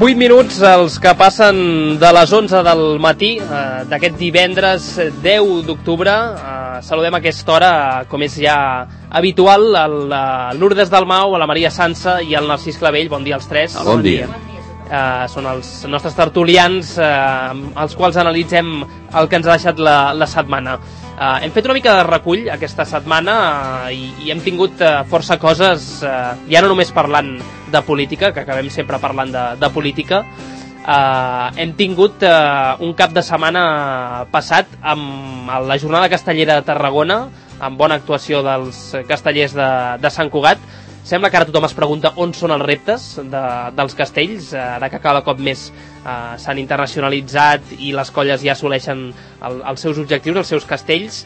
8 minuts, els que passen de les 11 del matí d'aquest divendres 10 d'octubre. Saludem a aquesta hora, com és ja habitual, a Lourdes Dalmau, a la Maria Sansa i al Narcís Clavell. Bon dia als tres. Bon dia. Són els nostres tertulians, els quals analitzem el que ens ha deixat la setmana. Hem fet una mica de recull aquesta setmana i hem tingut força coses, ja no només parlant de política, que acabem sempre parlant de política. Hem tingut un cap de setmana passat amb la jornada castellera de Tarragona, amb bona actuació dels castellers de Sant Cugat. Sembla que ara tothom es pregunta on són els reptes dels castells, ara que cada cop més s'han internacionalitzat i les colles ja assoleixen els seus objectius, els seus castells.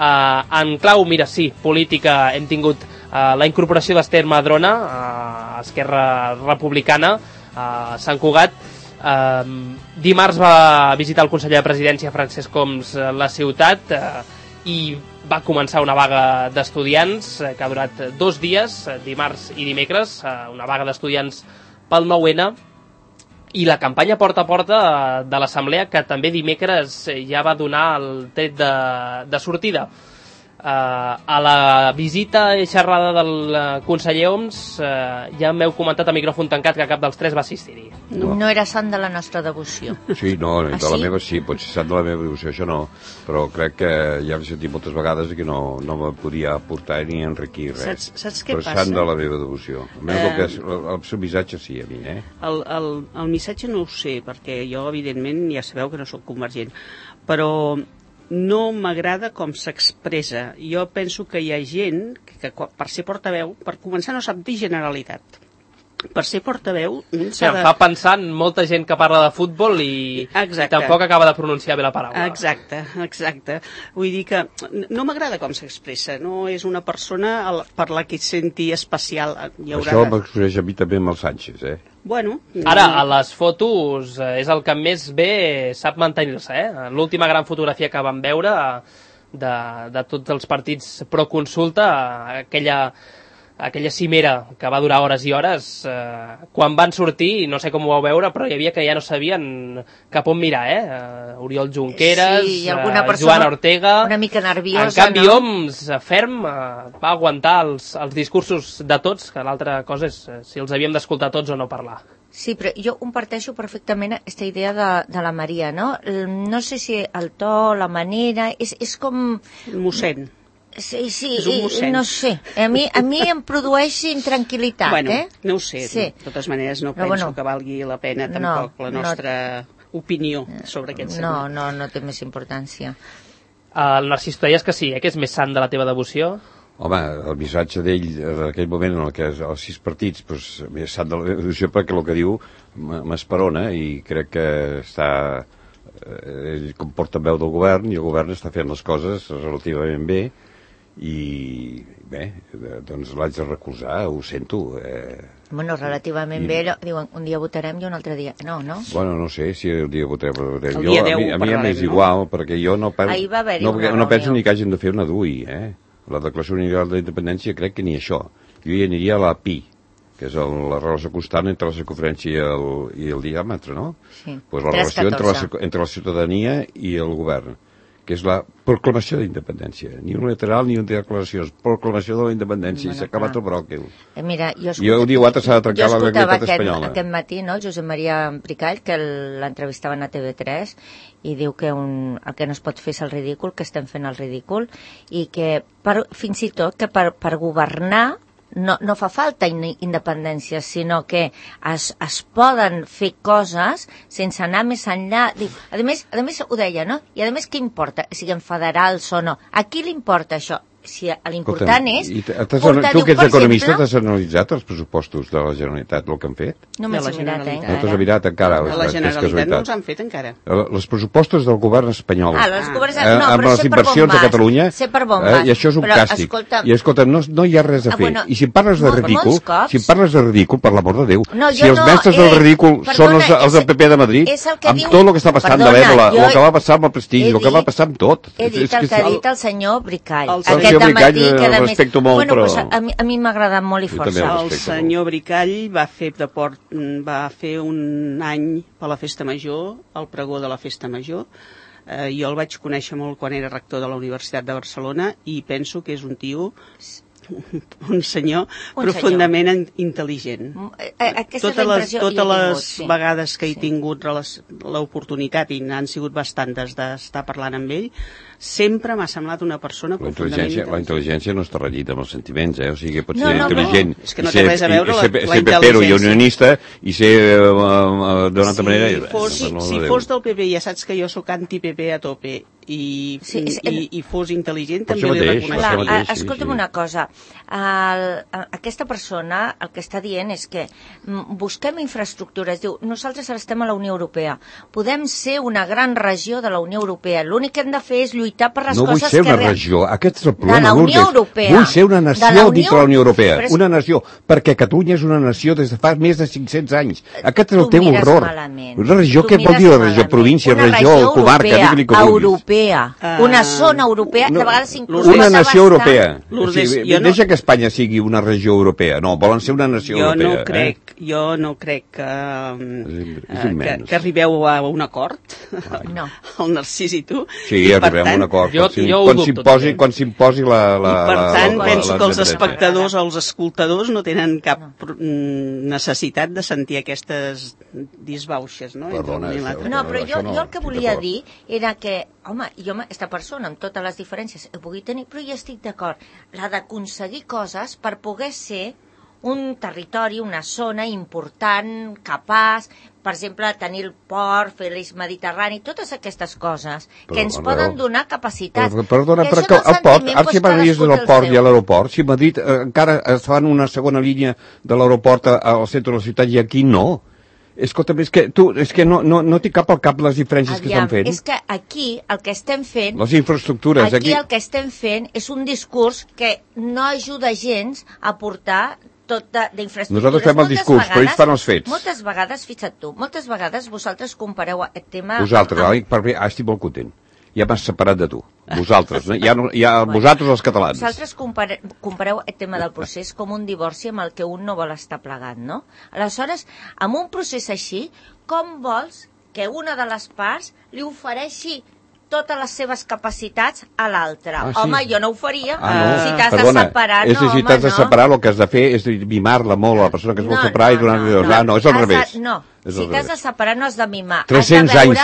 En clau, mira, sí, política, hem tingut la incorporació d'Ester Madrona a Esquerra Republicana a Sant Cugat. Dimarts va visitar el conseller de Presidència, Francesc Homs, la ciutat, i va començar una vaga d'estudiants que ha durat 2 dies, dimarts i dimecres, una vaga d'estudiants pel 9-N, i la campanya porta a porta de l'Assemblea, que també dimecres ja va donar el tret de sortida. A la visita i xerrada del conseller Homs ja m'heu comentat a micròfon tancat que cap dels tres va assistir-hi. No era sant de la nostra devoció. Sí, no, de la meva sí, potser sant de la meva devoció, això no, però crec que ja he sentit moltes vegades que no me podia aportar ni enriquir res. Saps què passa? Però sant de la meva devoció. El seu missatge sí, a mi, El missatge no ho sé, perquè jo, evidentment, ja sabeu que no soc convergent, però no m'agrada com s'expressa. Jo penso que hi ha gent que per ser portaveu, per començar, no sap dir Generalitat. Per ser portaveu s'ha de... Fa pensar en molta gent que parla de futbol i tampoc acaba de pronunciar bé la paraula. Exacte. Vull dir que no m'agrada com s'expressa. No és una persona per la que es senti especial. Això m'expressa a mi també amb el Sánchez, Bueno, ara, a les fotos és el que més bé sap mantenir-se, L'última gran fotografia que vam veure de tots els partits pro-consulta, aquella cimera que va durar hores i hores, quan van sortir, no sé com ho vau veure, però hi havia que ja no sabien cap on mirar, Oriol Junqueras, sí, Joan Ortega... Una mica nerviosa, en canvi, Homs, ferm, va aguantar els discursos de tots, que l'altra cosa és si els havíem d'escoltar tots o no parlar. Sí, però jo comparteixo perfectament aquesta idea de la Maria, no? No sé si el to, la manera, és com... Mossèn. Sí, no sé. A mi em produeix intranquil·litat, Bueno, no ho sé. Sí. De totes maneres, no penso que valgui la pena tampoc la nostra opinió sobre aquest segment. No té més importància. El Narcís, tu deies que sí, que és més sant de la teva devoció? Home, el missatge d'ell en aquell moment en què els 6 partits és sant de la devoció perquè el que diu m'esperona i crec que ell com portaveu del govern i el govern està fent les coses relativament bé i bé, doncs l'haig de recolzar, ho sento. Bueno, relativament bé, diuen un dia votarem i un altre dia no? Bueno, no sé si el dia votarem. A mi és igual, perquè jo no penso ni que hàgim de fer una DUI, La Declaració Universal de la Independència crec que ni això. Jo hi aniria a la PI, que és la relació constant entre la circunferència i el diàmetre, no? Sí. Pues la relació entre la ciutadania i el govern, que és la proclamació d'independència. Ni unilateral ni una declaració, és proclamació de la independència, i s'ha acabat el bròquil. Mira, I el dia 4 s'ha de trencar la legalitat espanyola. Aquest matí, no, Josep Maria Bricall, que l'entrevistaven a TV3, i diu que el que no es pot fer és el ridícul, que estem fent el ridícul, i que fins i tot que per governar no fa falta independència, sinó que es poden fer coses sense anar més enllà. A més ho deia, no? I a més què importa, siguem federals o no? A qui li importa això? Si l'important és... Tu que ets economista t'has analitzat els pressupostos de la Generalitat, el que han fet? No m'has mirat, No t'has mirat encara. A la Generalitat no els han fet encara. Els pressupostos del govern espanyol amb les inversions a Catalunya, i això és un càstig. I escolta'm, no hi ha res a fer. I si parles de ridícul, per l'amor de Déu, si els mestres del ridícul són els del PP de Madrid, amb tot el que està passant de l'Ebola, el que va passar amb el prestigi, el que va passar amb tot. He dit el que ha dit el senyor Bricall. senyor Bricall respecto molt, però... A mi m'ha agradat molt i força. El senyor Bricall va fer un any per la Festa Major, el pregó de la Festa Major. Jo el vaig conèixer molt quan era rector de la Universitat de Barcelona i penso que és un tio... un senyor profundament intel·ligent. Totes les vegades que he tingut l'oportunitat, i n'han sigut bastantes d'estar parlant amb ell, sempre m'ha semblat una persona profundament intel·ligent. La intel·ligència no està regida amb els sentiments, o sigui, pot ser intel·ligent. És que no té res a veure la intel·ligència. Ser pepero i unionista i ser d'una altra manera... Si fos del PP, ja saps que jo sóc anti-PP a tope, i fos intel·ligent, també li reconeixeria. Escolta'm una cosa, aquesta persona el que està dient és que busquem infraestructures, diu, nosaltres ara estem a la Unió Europea, podem ser una gran regió de la Unió Europea, l'únic que hem de fer és lluitar per les coses que... No vull ser una regió, aquest és el problema, Lourdes. Vull ser una nació dintre la Unió Europea, una nació, perquè Catalunya és una nació des de fa més de 500 anys. Aquest és el teu horror. Una regió, què vol dir una regió? Província, regió, comarca, digue-li com vulguis. Una zona europea, de vegades inclús una nació europea. Deixa que Espanya sigui una regió europea. No, volen ser una nació europea. Jo no crec que arribeu a un acord, el Narcís i tu. Sí, arribem a un acord. Quan s'imposi la... Per tant, penso que els espectadors o els escoltadors no tenen cap necessitat de sentir aquestes disbauxes, no? Perdona, no, però jo el que volia dir era que, home, jo aquesta persona, amb totes les diferències que pugui tenir, però jo estic d'acord, la d'aconseguir coses per poder ser un territori, una zona important, capaç, per exemple, tenir el port, fer l'eix mediterrani, totes aquestes coses que ens poden donar capacitats. Perdona, però el port, ara si m'agradaries del port i a l'aeroport, si Madrid encara es fan una segona línia de l'aeroport al centre de la ciutat i aquí no. Escolta'm, és que no t'hi cap al cap les diferències que estan fent. És que aquí el que estem fent... Les infraestructures. Aquí el que estem fent és un discurs que no ajuda gens a portar tot d'infraestructures. Nosaltres fem el discurs, però ells fan els fets. Moltes vegades, fixa't tu, vosaltres compareu el tema... Vosaltres, estic molt content. Ja m'has separat de tu, vosaltres, vosaltres els catalans. Vosaltres compareu el tema del procés com un divorci amb el que un no vol estar plegat, no? Aleshores, amb un procés així, com vols que una de les parts li ofereixi totes les seves capacitats a l'altra? Home, jo no ho faria. Si t'has de separar, no, home, si t'has de separar, el que has de fer és mimar-la molt a la persona que es vol separar i donar-li dos. No, és al revés. No, si t'has de separar no has de mimar. 300 anys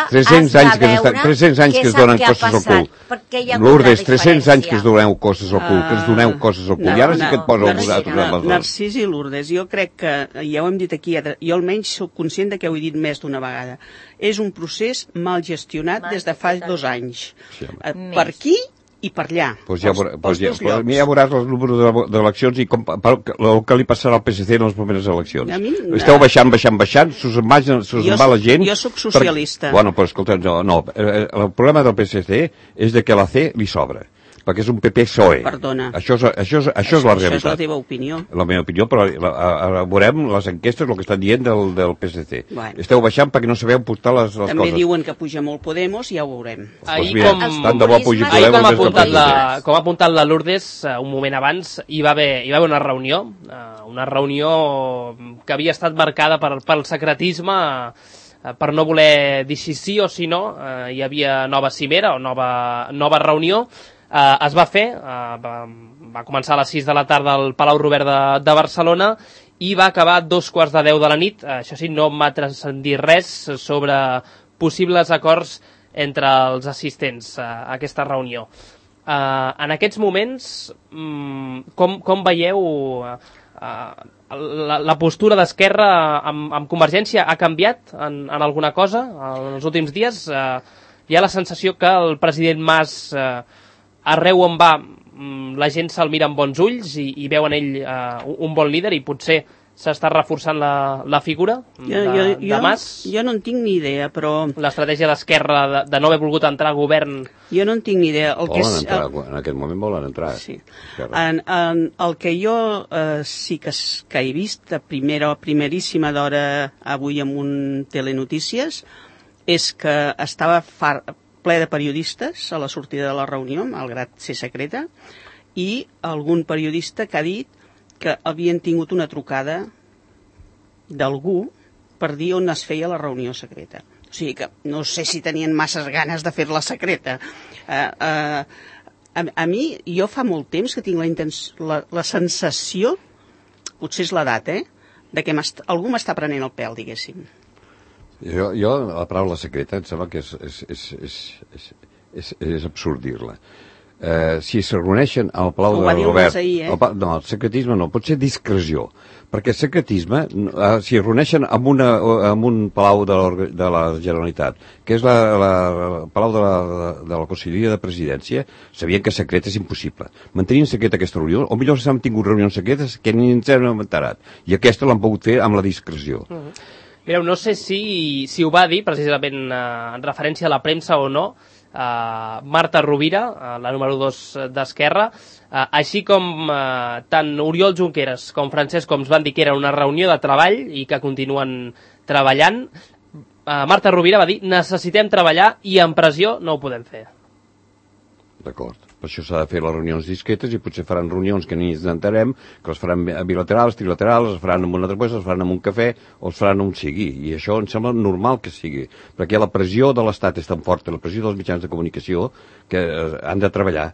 que es donen coses al cul. Lourdes, 300 anys que es doneu coses al cul, que ens doneu coses al cul. I ara sí que et posa vosaltres. Narcís i Lourdes, jo crec que, ja ho hem dit aquí, jo almenys soc conscient que ho he dit més d'una vegada. És un procés mal gestionat des de fa 2 anys. Per aquí i per allà. Ja veuràs els números d'eleccions i el que li passarà al PSC en les properes eleccions. Esteu baixant, s'us en va la gent... Jo sóc socialista. Bueno, però escolta, no, el problema del PSC és que la C li sobra, perquè és un PP-PSOE. Perdona. Això és la realitat. Això és la teva opinió. La meva opinió, però veurem les enquestes, el que estan dient del PSC. Esteu baixant perquè no sabeu portar les coses. També diuen que puja molt Podemos, ja ho veurem. Com ha apuntat la Lourdes un moment abans, hi va haver una reunió que havia estat marcada pel secretisme, per no voler dir sí o si no. Hi havia nova cimera o nova reunió. Es va fer, va començar a les 6 de la tarda al Palau Robert de Barcelona i va acabar a 2:15 de la nit. Això sí, no m'ha transcendit res sobre possibles acords entre els assistents a aquesta reunió. En aquests moments, com veieu la postura d'Esquerra amb Convergència? Ha canviat en alguna cosa en els últims dies? Hi ha la sensació que el president Mas... arreu on va, la gent se'l mira amb bons ulls i veu en ell un bon líder i potser s'està reforçant la figura de Mas. Jo no en tinc ni idea, però... L'estratègia d'Esquerra de no haver volgut entrar a govern... Jo no en tinc ni idea. En aquest moment volen entrar. Sí. El que jo sí que he vist a primeríssima d'hora avui amb un Telenotícies és que estava ple de periodistes a la sortida de la reunió, malgrat ser secreta, i algun periodista que ha dit que havien tingut una trucada d'algú per dir on es feia la reunió secreta. O sigui que no sé si tenien masses ganes de fer-la secreta. A mi, jo fa molt temps que tinc la sensació, potser és l'edat, de que algú m'està prenent el pèl, diguéssim. Jo la paraula secreta em sembla que és absurd dir-la. Si es reuneixen al Palau de Robert... No, el secretisme no, pot ser discreció. Perquè el secretisme, si es reuneixen en un palau de la Generalitat, que és el palau de la Conselleria de Presidència, sabien que secret és impossible. Mantenint secret aquesta reunió, o millor s'han tingut reunions secretes que ni ens hem enterat. I aquesta l'han pogut fer amb la discreció. Mireu, no sé si ho va dir, precisament en referència a la premsa o no, Marta Rovira, la número 2 d'Esquerra, així com tant Oriol Junqueras com Francesc Homs van dir que era una reunió de treball i que continuen treballant, Marta Rovira va dir necessitem treballar i en pressió no ho podem fer. D'acord. Per això s'ha de fer les reunions discretes i potser faran reunions que ni ens enterem, que les faran bilaterals, trilaterals, les faran amb una altra cosa, les faran amb un cafè o les faran on sigui. I això em sembla normal que sigui, perquè la pressió de l'Estat és tan forta, la pressió dels mitjans de comunicació, que han de treballar.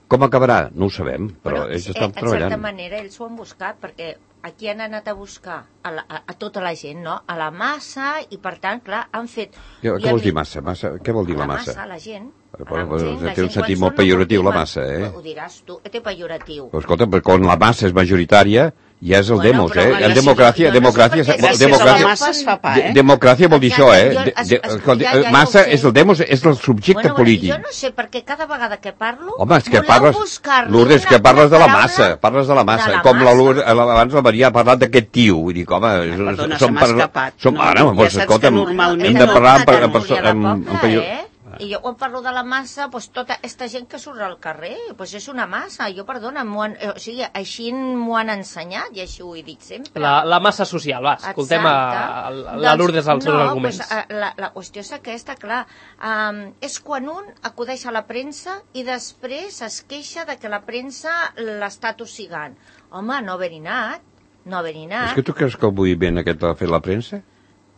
Com acabarà? No ho sabem, però ells estan treballant. En certa manera ells ho han buscat, perquè aquí han anat a buscar a tota la gent, no? A la massa, i per tant, clar, han fet... Què vols dir massa? Què vol dir la massa? La gent. Té un sentit molt pejoratiu, la massa, Ho diràs tu, té pejoratiu. Però escolta, quan la massa és majoritària, ja és el demos, En democràcia vol dir això, Massa és el demos, és el subjecte polític. Jo no sé, perquè cada vegada que parlo... Home, és que Lourdes, que parles de la massa, com abans la Maria ha parlat d'aquest tio, vull dir, home... Perdona, se m'ha escapat. Ja saps que normalment... Hem de parlar amb... I jo quan parlo de la massa, doncs tota aquesta gent que surt al carrer, doncs és una massa. Jo, perdona, així m'ho han ensenyat i així ho he dit sempre. La massa social, va, escoltem la Lourdes als seus arguments. La qüestió és aquesta, clar, és quan un acudeix a la premsa i després es queixa de que la premsa l'està tossigant. Home, no haver-hi anat. És que tu creus que el moviment aquest l'ha fet la premsa?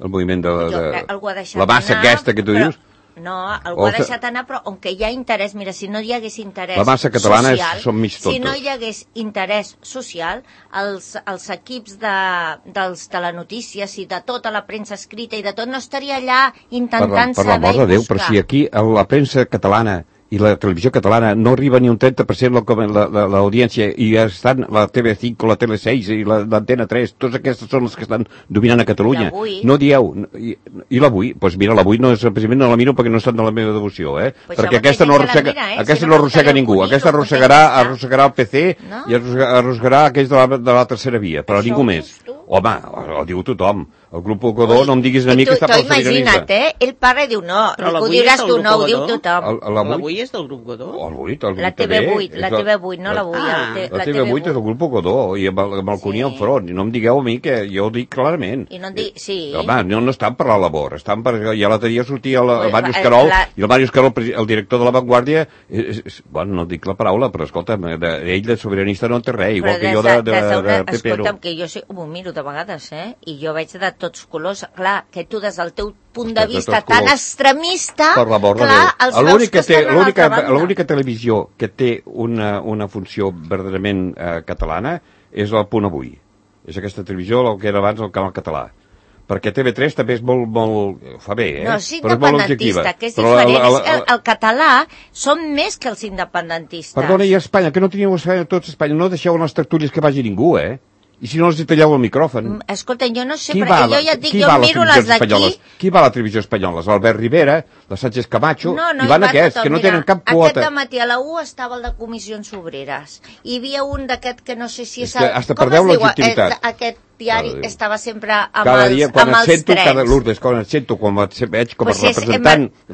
El moviment de la massa aquesta que tu dius? No, algú ha deixat anar, però on que hi ha interès, mira, si no hi hagués interès la massa catalana són mig tontos. Si no hi hagués interès social, els equips dels telenotícies i de tota la premsa escrita i de tot no estaria allà intentant saber i buscar. Per l'amor de Déu, però si aquí la premsa catalana i la televisió catalana no arriba ni un 30% l'audiència i ja estan la TV5, la Tele6 i l'Antena 3, totes aquestes són les que estan dominant a Catalunya. No dieu, i l'Avui? Doncs mira, l'Avui no és precisament, no la miro perquè no estan de la meva devoció, perquè aquesta no arrossega ningú, aquesta arrossegarà el PC i arrossegarà aquells de la tercera via, però ningú més. Home, ho diu tothom. El grup Ocodó, no em diguis a mi que està pel sobiranisme. Imagina't, ell parla i diu no, ho diràs tu, no, ho diu tothom. L'Avui és del grup Godó? La TV8, no l'Avui. La TV8 és del grup Ocodó, i amb el Cuní enfront, i no em digueu a mi que jo ho dic clarament. I no em dic, sí. Home, no estan per la labor, estan per... Ja l'altre dia sortia el Màrius Carol, i el Màrius Carol, el director de La Vanguardia, bueno, no dic la paraula, però escolta, ell de sobiranista no en té res, igual que jo de PP. Escolta'm, que jo m'ho miro de vegades, i jo veig de tots colors, clar, que tu des del teu punt de vista tan extremista, clar, els veus que estan a l'altra banda. L'única televisió que té una funció verdaderament catalana és el Punt Avui. És aquesta televisió, el que era abans el canal català. Perquè TV3 també és molt... fa bé, No, és independentista, que és diferent. El català són més que els independentistes. Perdona, i a Espanya, que no teníeu tots a Espanya, no deixeu en les tertúlies que vagi ningú, I si no els talleu el micròfon? Escolta, jo no sé, perquè jo ja et dic, jo miro les d'aquí... Qui va a la televisió espanyola? L'Albert Rivera, la Sánchez Camacho, i van aquests, que no tenen cap quota. Aquest dematí a la U estava el de Comissions Obreres. Hi havia un d'aquest que no sé si és... Hasta perdeu legitimitat. Aquest diari estava sempre amb els trens. Lourdes, quan et sento, quan veig com a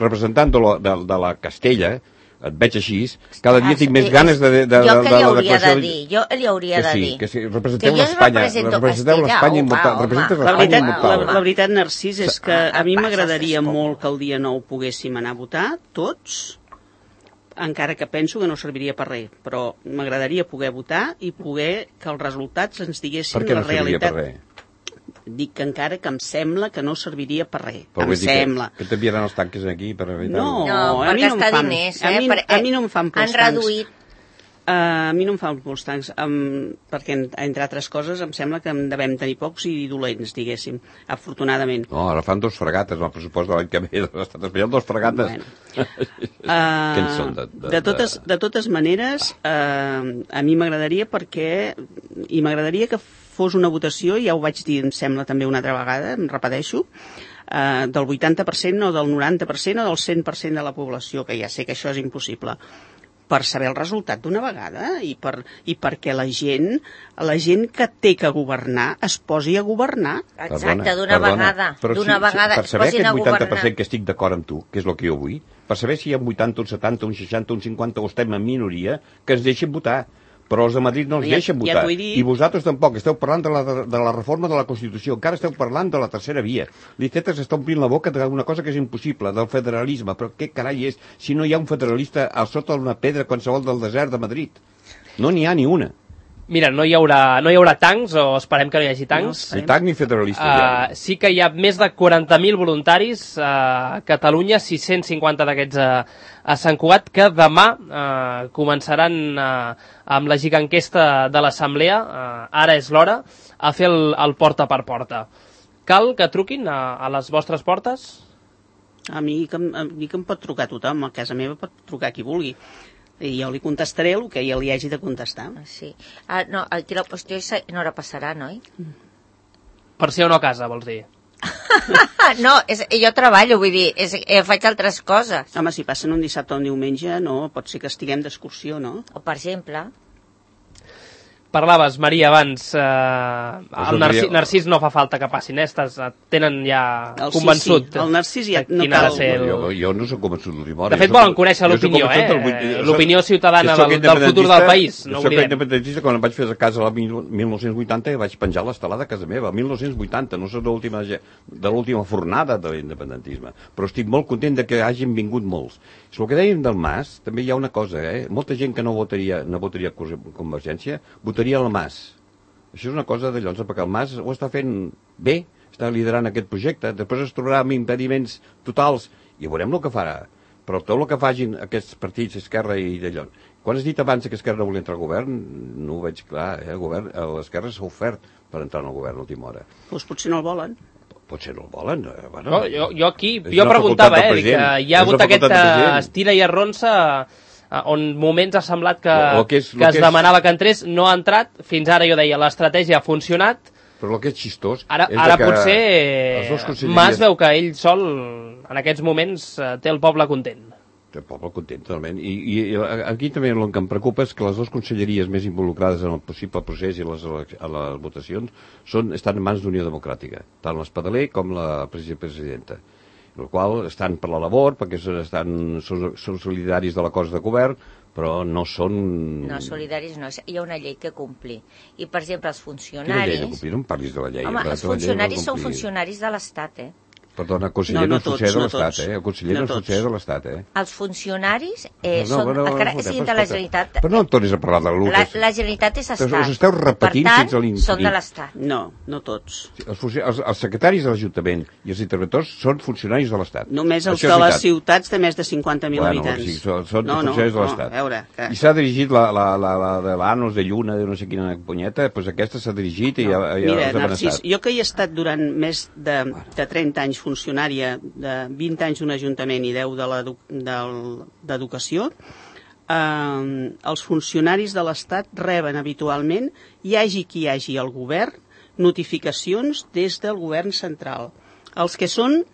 representant de la Castella, et veig així, cada dia tinc més ganes de jo què li hauria de dir? Jo li hauria de dir. Que sí, representeu l'Espanya. Representeu l'Espanya immutada. La veritat, Narcís, és que a mi m'agradaria molt que el dia 9 poguéssim anar a votar, tots, encara que penso que no serviria per res, però m'agradaria poder votar i poder que els resultats ens diguessin la realitat. Per què no serviria per res? Dic que encara que em sembla que no serviria per res. Em sembla. Que t'enviaran els tanques aquí per evitar-ho? No, per gastar diners. A mi no em fan por els tancs. Han reduït. A mi no em fan molts tancs, perquè, entre altres coses, em sembla que en devem tenir pocs i dolents, diguéssim, afortunadament. No, ara fan 2 fregates, el pressupost de l'any que ve de l'Estat espanyol, 2 fregates. Bueno. Què en són? De totes maneres, a mi m'agradaria i m'agradaria que fos una votació, ja ho vaig dir, em sembla també una altra vegada, em repeteixo, del 80% o del 90% o del 100% de la població, que ja sé que això és impossible, per saber el resultat d'una vegada i perquè la gent que té que governar es posi a governar. Exacte, d'una vegada. Per saber aquest 80% que estic d'acord amb tu, que és el que jo vull, per saber si hi ha un 80, un 70, un 60, un 50 o estem en minoria, que ens deixin votar. Però els de Madrid no els deixen votar. I vosaltres tampoc. Esteu parlant de la reforma de la Constitució. Encara esteu parlant de la tercera via. L'Iceta s'està omplint la boca d'una cosa que és impossible, del federalisme. Però què carai és si no hi ha un federalista al sota d'una pedra qualsevol del desert de Madrid? No n'hi ha ni una. Mira, no hi haurà tancs, o esperem que no hi hagi tancs. Ni tanc ni federalistes. Sí que hi ha més de 40.000 voluntaris a Catalunya, 650 d'aquests a Sant Cugat, que demà començaran amb la giganquesta de l'Assemblea, ara és l'hora, a fer el porta per porta. Cal que truquin a les vostres portes? A mi que em pot trucar tothom, a casa meva pot trucar qui vulgui. I jo li contestaré el que ja li hagi de contestar. Sí. No, aquí la qüestió és no hora passarà, noi? Per ser o no a casa, vols dir? No, jo treballo, vull dir, faig altres coses. Home, si passen un dissabte o un diumenge, no, pot ser que estiguem d'excursió, no? O, per exemple... Parlaves, Maria, abans, el Narcís no fa falta que passin, tenen ja convençut. Sí. El Narcís ja no cal. Jo no soc convençut d'última hora. De fet, volen conèixer l'opinió, l'opinió ciutadana del futur del país. No soc independentista, quan em vaig fer a casa el 1980 vaig penjar l'estelada a casa meva, el 1980, no soc de l'última fornada de l'independentisme, però estic molt content de que hagin vingut molts. El que dèiem del Mas, també hi ha una cosa, molta gent que no votaria Convergència, votaria el Mas. Això és una cosa de llocs, perquè el Mas ho està fent bé, està liderant aquest projecte, després es trobarà amb impediments totals, i veurem el que farà. Però tot el que facin aquests partits, Esquerra i d'allò. Quan has dit abans que Esquerra no volia entrar al govern, no ho veig clar, l'Esquerra s'ha ofert per entrar en el govern a l'última hora. Doncs potser no el volen. Potser no el volen. Bueno, jo preguntava, que hi ha hagut aquest estira i arronsa on moments ha semblat que es demanava que entrés, no ha entrat, fins ara jo deia, l'estratègia ha funcionat. Però el que és xistós... Ara potser Mas veu que ell sol, en aquests moments, té el poble content. Té el poble content, totalment. I aquí també el que em preocupa és que les dues conselleries més involucrades en el possible procés i a les votacions estan en mans d'Unió Democràtica, tant l'Espadaler com la presidenta. El qual estan per la labor, perquè són solidaris de l'acord de govern, però no són... No, solidaris no, hi ha una llei que complir. I, per exemple, els funcionaris... Quina llei de complir? No em parlis de la llei. Home, els funcionaris són funcionaris de l'Estat, Perdona, conseller no és funcionari de l'Estat, El conseller no és funcionari de l'Estat, Els funcionaris són... encara siguin de la Generalitat... Però no em tornis a parlar de l'Urdes. La Generalitat és Estat. Us esteu repetint fins a l'infinit. Són de l'Estat. No tots. Els secretaris de l'Ajuntament i els interventors són funcionaris de l'Estat. Només els de les ciutats de més de 50.000 habitants. Sí, són funcionaris de l'Estat. I s'ha dirigit la de l'Anos de Lluna, de no sé quina punyeta, doncs aquesta s'ha dirigit i ja mira, Narcís, jo que hi he estat durant més de 30 anys funcionària, de 20 anys d'un ajuntament i 10 d'educació, els funcionaris de l'Estat reben habitualment, hi hagi qui hi hagi al govern, notificacions des del govern central. Els que són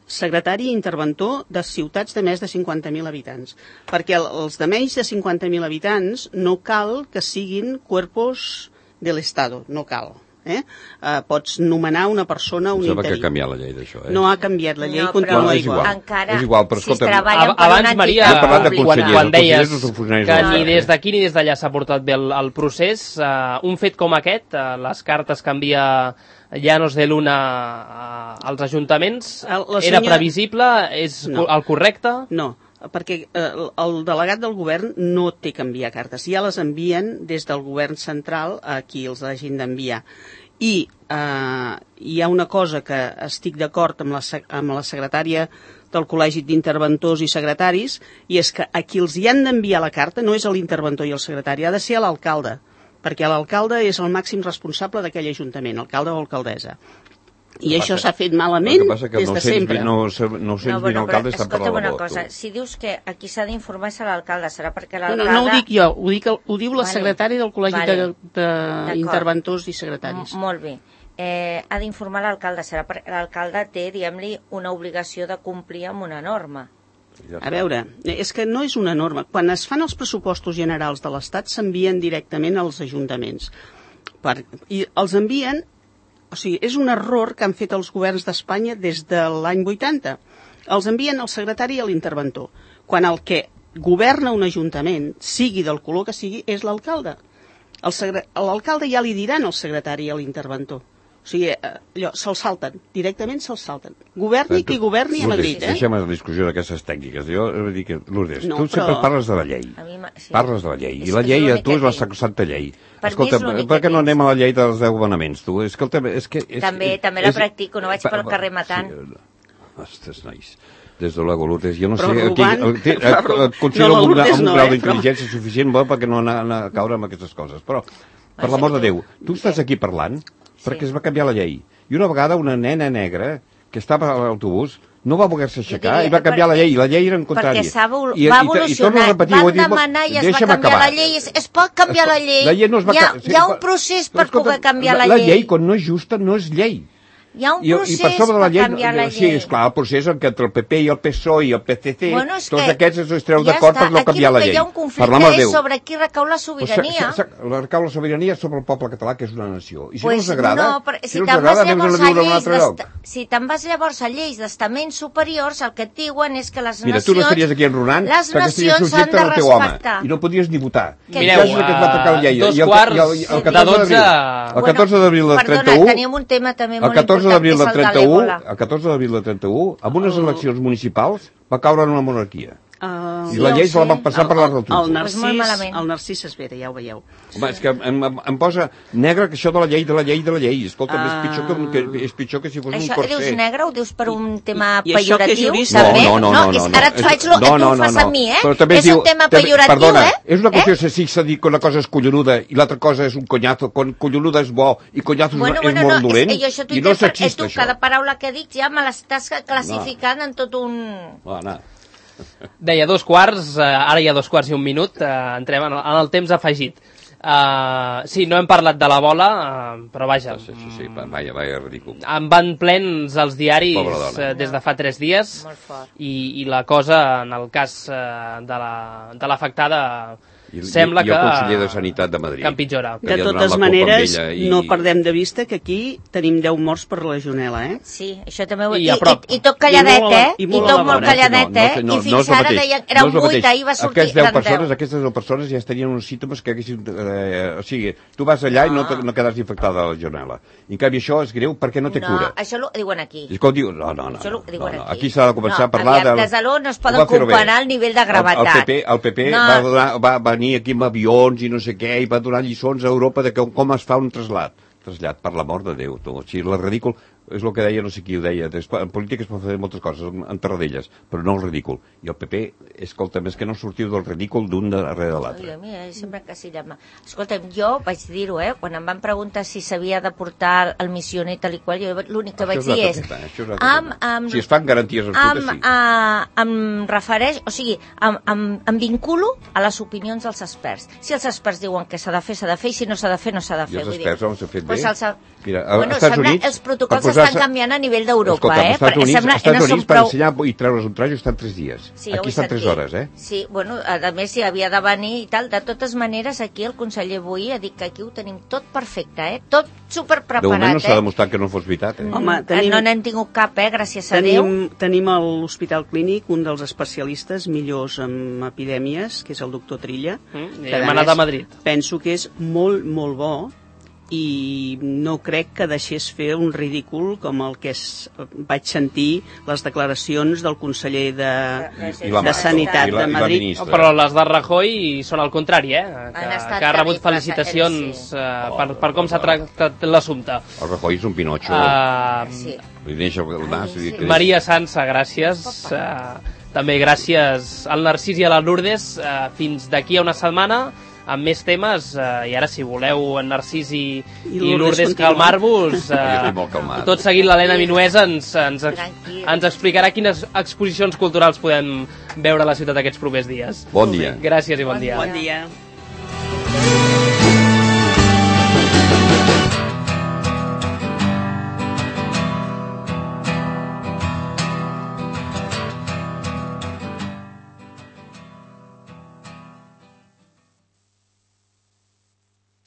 secretari i interventor de ciutats de més de 50.000 habitants. Perquè els de menys de 50.000 habitants no cal que siguin cuerpos de l'Estado, no cal. Pots nomenar una persona, un interí. Sembla que ha canviat la llei d'això. No ha canviat la llei, continua igual. És igual, però escolta... Abans, Maria, quan deies que ni des d'aquí ni des d'allà s'ha portat bé el procés, un fet com aquest, les cartes que envia Llanos de Luna als ajuntaments, era previsible? És el correcte? No. perquè el delegat del govern no té que enviar cartes, ja les envien des del govern central a qui els hagin d'enviar. I hi ha una cosa que estic d'acord amb la secretària del Col·legi d'Interventors i Secretaris, i és que a qui els hi han d'enviar la carta no és a l'interventor i al secretari, ha de ser a l'alcalde, perquè l'alcalde és el màxim responsable d'aquell ajuntament, alcalde o alcaldessa. I això s'ha fet malament des de sempre. No alcalde està per la labor. Si dius que aquí s'ha d'informar és a l'alcalde, serà perquè l'alcalde... No ho dic jo, ho diu la secretària del Col·legi d'Interventors i Secretaris. Molt bé. Ha d'informar l'alcalde, serà perquè l'alcalde té, diguem-li, una obligació de complir amb una norma. A veure, és que no és una norma. Quan es fan els pressupostos generals de l'Estat s'envien directament als ajuntaments. I els envien... O sigui, és un error que han fet els governs d'Espanya des de l'any 80. Els envien al secretari i a l'interventor, quan el que governa un ajuntament, sigui del color que sigui, és l'alcalde. L'alcalde ja li diran al secretari i a l'interventor. O sigui, se'l salten, directament se'l salten. Governi qui governi a Madrid, Deixem la discussió d'aquestes tècniques. Jo vull dir que, Lourdes, tu sempre parles de la llei. Parles de la llei. I la llei, tu és la sacrosanta llei. Escolta, per què no anem a la llei dels 10 manaments, tu? També la practico, no vaig pel carrer matant. Ostres, nois. Des de luego, Lourdes, jo no sé... Considero un grau d'intel·ligència suficient perquè no anar a caure amb aquestes coses. Però, per l'amor de Déu, tu estàs aquí parlant perquè es va canviar la llei. I una vegada una nena negra que estava a l'autobús no va voler-se aixecar i va canviar la llei. La llei era en contrària. Perquè va evolucionar. Van demanar i es va canviar la llei. Es pot canviar la llei. Hi ha un procés per poder canviar la llei. La llei, quan no és justa, no és llei. Hi ha un procés per canviar la llei. Sí, esclar, el procés entre el PP i el PSOE i el PCC, tots aquests es treu d'acord per no canviar la llei. Aquí hi ha un conflicte és sobre qui recau la sobirania. Recau la sobirania sobre el poble català, que és una nació. I si no els agrada, anem a viure en un altre lloc. Si te'n vas llavors a lleis d'estaments superiors, el que et diuen és que les nacions... Mira, tu no estaries aquí enronant perquè estaries subjecte al teu home. I no podries ni votar. Mireu, 2 quarts de 12... El 14 d'abril del 31... Perdona, teníem un tema també molt important. El 14 d'abril del 31, amb unes eleccions municipals, va caure en una monarquia. I la llei se la van passar per la rotunda. El Narcís Esvera, ja ho veieu. Home, és que em posa negre que això de la llei. Escolta, és pitjor que si fos un corset. Això dius negre? Ho dius per un tema pejoratiu? No. Ara et faig el que tu fas a mi, És un tema pejoratiu, Perdona, és una qüestió si s'ha dit que una cosa és collonuda i l'altra cosa és un conyazo, quan collonuda és bo i conyazo és molt dolent, i no sexista, això. Cada paraula que dic ja me l'estàs classificant en tot un... Deia 2 quarts, ara hi ha 2 quarts i 1 minut, entrem en el temps afegit. Sí, no hem parlat de la bola, però vaja... Sí, vaja, ridícul. Em van plens els diaris des de fa 3 dies i la cosa, en el cas de l'afectada... Sembla que... I el conseller de Sanitat de Madrid. Que empitjora. De totes maneres, no perdem de vista que aquí tenim 10 morts per legionel·la, Sí, això també ho... I tot calladet, I tot molt calladet, I fins ara deien... Era un 8, ahir va sortir... Aquestes 10 persones ja tenien uns símptomes que haguessin... O sigui, tu vas allà i no quedaràs infectada de la legionel·la. I en canvi això és greu perquè no té cura. No, això ho diuen aquí. No. Aquí s'ha de començar a parlar de... Des de l'O no es poden comparar el nivell de gravetat. El PP va venir aquí amb avions i no sé què, i va donar lliçons a Europa de com es fa un trasllat, per l'amor de Déu. O sigui, la ridícul és el que deia, no sé qui ho deia, en política es pot fer moltes coses, en terradelles, però no el ridícul. I el PP, escolta, més que no sortiu del ridícul d'un darrere de l'altre. Sempre que sí, escolta'm, jo vaig dir-ho, quan em van preguntar si s'havia de portar el missioner i tal i qual, jo l'únic que vaig dir és... Si es fan garanties absolutes, sí. Em refereix, o sigui, em vinculo a les opinions dels experts. Si els experts diuen que s'ha de fer, i si no s'ha de fer, no s'ha de fer. I els experts on s'ha fet bé? Mira, als Estats Units... Els protocols estan canviant a nivell d'Europa, als Estats Units per ensenyar i treure's un trajo estan 3 dies. Aquí estan 3 hores, Sí, bueno, a més si havia de venir i tal. De totes maneres, aquí el conseller Boí ha dit que aquí ho tenim tot perfecte, tot superpreparat. De moment no s'ha demostrat que no fos veritat, Home, no n'hem tingut cap, gràcies a Déu. Tenim a l'Hospital Clínic un dels especialistes millors en epidèmies, que és el doctor Trilla. Hem anat a Madrid. Penso que és molt, molt bo i no crec que deixés fer un ridícul com el que vaig sentir les declaracions del conseller de Sanitat de Madrid. Però les de Rajoy són al contrari, que ha rebut felicitacions per com s'ha tractat l'assumpte. El Rajoy és un pinotxo. Maria Sansa, gràcies. També gràcies al Narcís i a la Lourdes. Fins d'aquí a una setmana amb més temes, i ara si voleu en Narcís i Lourdes calmar-vos, tot seguint l'Helena Minuesa ens explicarà quines exposicions culturals podem veure a la ciutat aquests propers dies. Bon dia. Gràcies i bon dia. Bon dia.